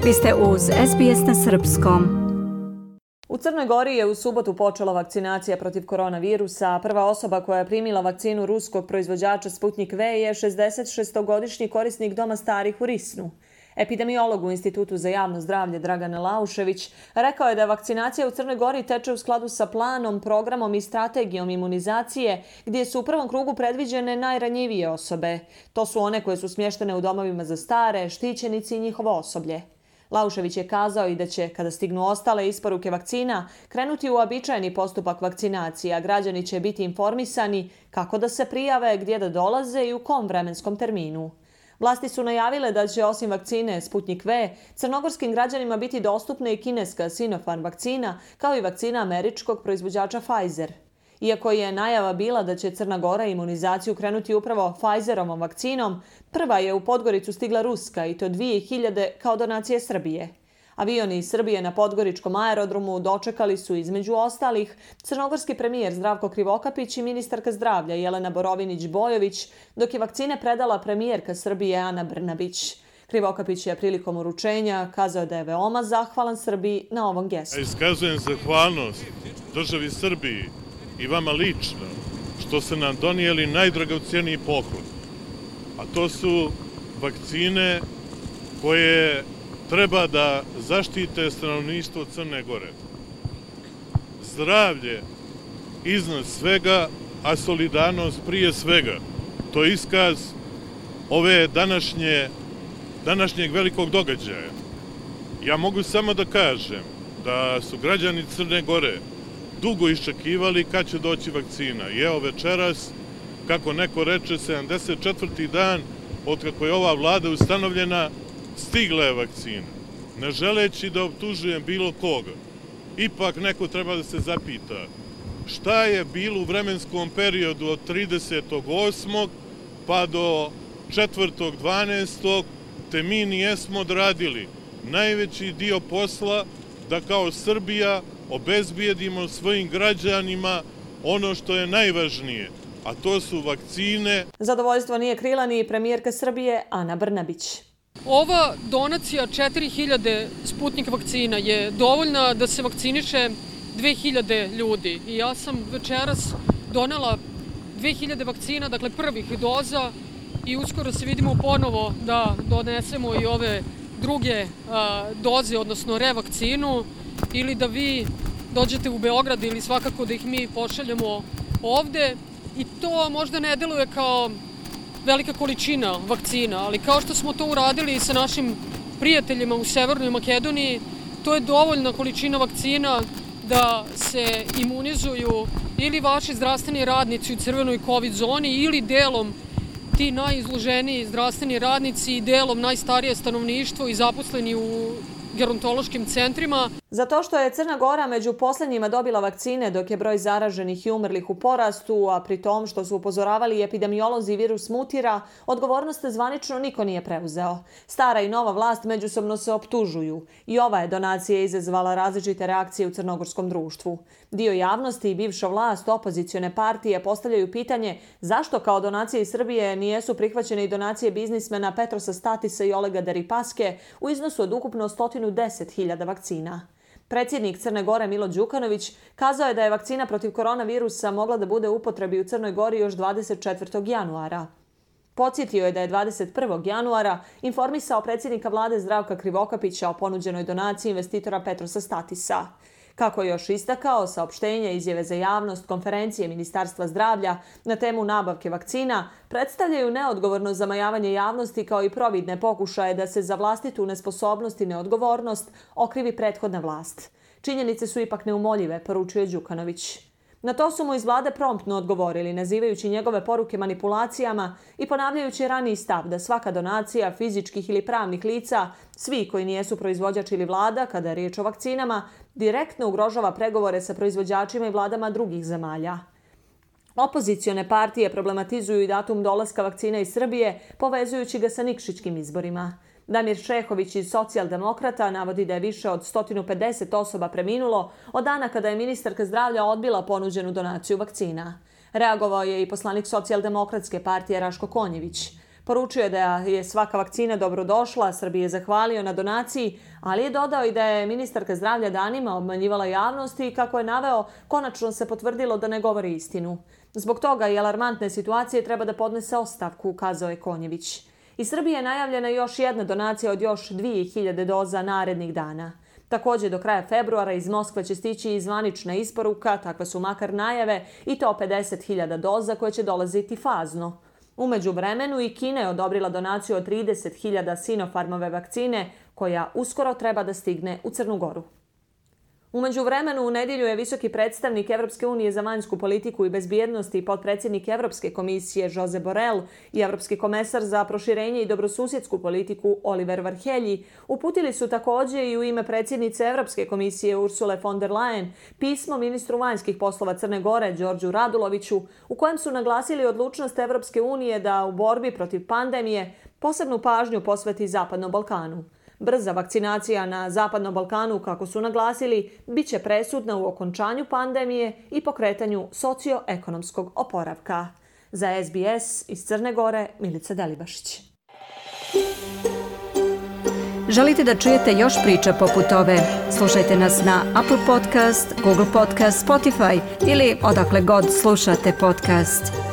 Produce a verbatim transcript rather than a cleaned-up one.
Vi ste uz S B S na srpskom. U Crnoj Gori je u subotu počela vakcinacija protiv koronavirusa. Prva osoba koja je primila vakcinu ruskog proizvođača Sputnik V je šezdesetšestogodišnji korisnik doma starih u Risnu. Epidemiolog u Institutu za javno zdravlje Dragan Laušević rekao je da vakcinacija u Crnoj Gori teče u skladu sa planom, programom i strategijom imunizacije, gdje su u prvom krugu predviđene najranjivije osobe. To su one koje su smještene u domovima za stare, štićenici i njihovo osoblje. Laušević je kazao i da će, kada stignu ostale isporuke vakcina, krenuti u uobičajeni postupak vakcinacije, a građani će biti informisani kako da se prijave, gdje da dolaze i u kom vremenskom terminu. Vlasti su najavile da će osim vakcine Sputnik V, crnogorskim građanima biti dostupna i kineska Sinopharm vakcina, kao i vakcina američkog proizvođača Pfizer. Iako je najava bila da će Crna Gora imunizaciju krenuti upravo Pfizerovom vakcinom, prva je u Podgoricu stigla ruska i to dvije hiljade kao donacije Srbije. Avioni iz Srbije na podgoričkom aerodromu dočekali su između ostalih crnogorski premijer Zdravko Krivokapić i ministarka zdravlja Jelena Borovinić-Bojović, dok je vakcine predala premijerka Srbije Ana Brnabić. Krivokapić je prilikom uručenja kazao da je veoma zahvalan Srbiji na ovom gestu. Iskazujem zahvalnost državi Srbiji i vama lično što ste nam donijeli najdragocjeniji poklon, a to su vakcine koje treba da zaštite stanovništvo Crne Gore. Zdravlje iznad svega, a solidarnost prije svega. To je iskaz ove današnje, današnjeg velikog događaja. Ja mogu samo da kažem da su građani Crne Gore dugo iščekivali kad će doći vakcina. I evo večeras, kako neko reče, sedamdeset četvrti dan od kako je ova vlada ustanovljena, stigla je vakcina. Ne želeći da optužujem bilo koga, ipak neko treba da se zapita šta je bilo u vremenskom periodu od tridesetog osmog pa do četvrtog dvanaestog te mi nijesmo odradili najveći dio posla da kao Srbija obezbijedimo svojim građanima ono što je najvažnije, a to su vakcine. Zadovoljstvo nije krila ni premijerka Srbije Ana Brnabić. Ova donacija četiri hiljade Sputnik vakcina je dovoljna da se vakciniše dve hiljade ljudi. I ja sam večeras donela dve hiljade vakcina, dakle prvih doza, i uskoro se vidimo ponovo da donesemo i ove druge a, doze, odnosno revakcinu, ili da vi dođete u Beograd ili svakako da ih mi pošaljemo ovde. I to možda ne deluje kao velika količina vakcina, ali kao što smo to uradili sa našim prijateljima u Severnoj Makedoniji, to je dovoljna količina vakcina da se imunizuju ili vaši zdravstveni radnici u crvenoj COVID zoni ili delom ti najizloženiji zdravstveni radnici i delom najstarije stanovništvo i zaposleni u gerontološkim centrima. Za to što je Crna Gora među posljednjima dobila vakcine dok je broj zaraženih i umrlih u porastu, a pri tom što su upozoravali epidemiolozi virus mutira, odgovornost zvanično niko nije preuzeo. Stara i nova vlast međusobno se optužuju. I ova je donacija izazvala različite reakcije u crnogorskom društvu. Dio javnosti i bivša vlast opozicione partije postavljaju pitanje zašto kao donacije iz Srbije nijesu prihvaćene i donacije biznismena Petrosa Statisa i Olega Deripaske u iznosu od ukupno sto deset hiljada vakcina. Predsjednik Crne Gore Milo Đukanović kazao je da je vakcina protiv koronavirusa mogla da bude u upotrebi u Crnoj Gori još dvadeset četvrtog januara. Podsjetio je da je dvadeset prvog januara informisao predsjednika vlade Zdravka Krivokapića o ponuđenoj donaciji investitora Petrosa Statisa. Kako je još istakao, saopštenja, izjave za javnost, konferencije Ministarstva zdravlja na temu nabavke vakcina predstavljaju neodgovorno zamajavanje javnosti kao i providne pokušaje da se za vlastitu nesposobnost i neodgovornost okrivi prethodna vlast. Činjenice su ipak neumoljive, poručuje Đukanović. Na to su mu iz vlade promptno odgovorili, nazivajući njegove poruke manipulacijama i ponavljajući raniji stav da svaka donacija fizičkih ili pravnih lica, svi koji nijesu proizvođač ili vlada, kada je riječ o vakcinama, direktno ugrožava pregovore sa proizvođačima i vladama drugih zemalja. Opozicione partije problematizuju i datum dolaska vakcina iz Srbije, povezujući ga sa Nikšićkim izborima. Damir Šehović iz Socijaldemokrata navodi da je više od sto pedeset osoba preminulo od dana kada je ministarka zdravlja odbila ponuđenu donaciju vakcina. Reagovao je i poslanik Socijaldemokratske partije Raško Konjević. Poručio je da je svaka vakcina dobrodošla, Srbiji je zahvalio na donaciji, ali je dodao i da je ministarka zdravlja danima obmanjivala javnost i kako je naveo, konačno se potvrdilo da ne govori istinu. Zbog toga i alarmantne situacije treba da podnese ostavku, ukazao je Konjević. Iz Srbije je najavljena još jedna donacija od još dvije hiljade doza narednih dana. Također do kraja februara iz Moskve će stići i zvanična isporuka, takve su makar najave, i to pedeset hiljada doza koje će dolaziti fazno. U međuvremenu i Kina je odobrila donaciju od trideset hiljada Sinopharmove vakcine, koja uskoro treba da stigne u Crnu Goru. U međuvremenu u nedjelju je visoki predstavnik Evropske unije za vanjsku politiku i bezbjednost i potpredsjednik Evropske komisije Josep Borrell i Evropski komesar za proširenje i dobrosusjedsku politiku Oliver Varhelyi uputili su također i u ime predsjednice Evropske komisije Ursule von der Leyen pismo ministru vanjskih poslova Crne Gore Đorđu Raduloviću, u kojem su naglasili odlučnost Evropske unije da u borbi protiv pandemije posebnu pažnju posveti Zapadnom Balkanu. Brza vakcinacija na Zapadnom Balkanu, kako su naglasili, bit će presudna u okončanju pandemije i pokretanju socioekonomskog oporavka. Za S B S iz Crne Gore, Milica Delibašić. Želite da čujete još priča poput ove? Slušajte nas na Apple Podcast, Google Podcast, Spotify ili odakle god slušate podcast.